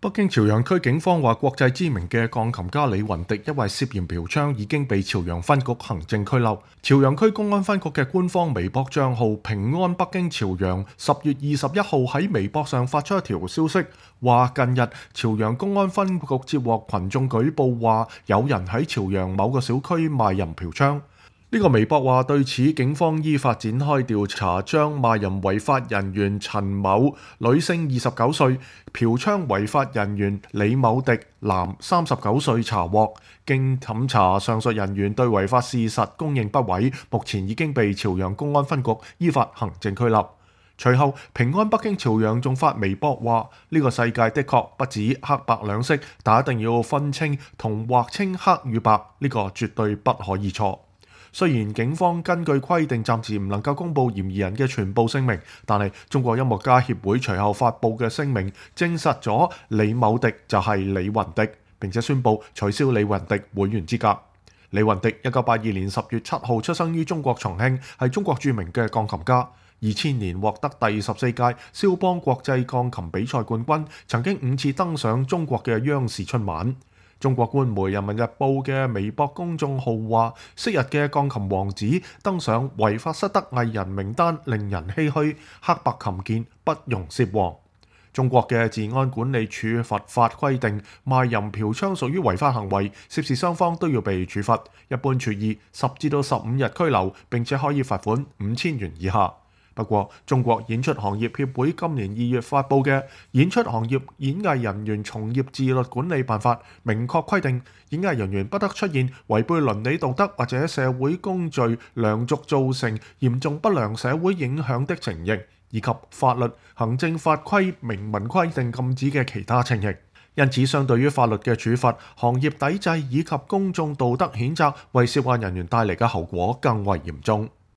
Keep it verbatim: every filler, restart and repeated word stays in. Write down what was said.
北京朝陽區警方話，國際知名嘅鋼琴家李雲迪因為涉嫌嫖娼已經被朝陽分局行政拘留。朝陽區公安分局嘅官方微博帳號平安北京朝陽十月二十一號喺微博上發出一條消息，話近日朝陽公安分局接獲群眾舉報，話有人喺朝陽某個小區賣淫嫖娼。呢個微博話，對此警方依法展開調查，將賣淫違法人員陳某女性二十九歲、嫖娼違法人員李某迪男三十九歲查獲。經審查，上述人員對違法事實供認不諱，目前已經被朝陽公安分局依法行政拘留。隨後，平安北京朝陽仲發微博話：呢個世界的確不止黑白兩色，但一定要分清同劃清黑與白，呢個絕對不可以錯。雖然警方根據規定暫時唔能夠公佈嫌疑人嘅全部姓名，但係中國音樂家協會隨後發布嘅聲明證實咗李某迪就係李雲迪，並且宣布取消李雲迪會員資格。李雲迪一九八二年十月七號出生於中國重慶，係中國著名嘅鋼琴家。二千年獲得第十四屆肖邦國際鋼琴比賽冠軍，曾經五次登上中國嘅央視春晚。中國官媒《人民日報》嘅微博公眾號話：昔日嘅鋼琴王子登上違法失德藝人名單，令人唏噓。黑白琴鍵不容涉黃。中國嘅治安管理處罰法規定，賣淫嫖娼屬於違法行為，涉事雙方都要被處罰，一般處以十至到十五日拘留，並且可以罰款五千元以下。不過，中國演出行業協會今年二月發布嘅《演出行業演藝人員從業自律管理辦法》明確規定，演藝人員不得出現違背倫理道德或者社會公序良俗造成嚴重不良社會影響的情形，以及法律、行政法規明文規定禁止嘅其他情形。因此，相對於法律嘅處罰，行業抵制以及公眾道德譴責為涉案人員帶嚟嘅後果更為嚴重。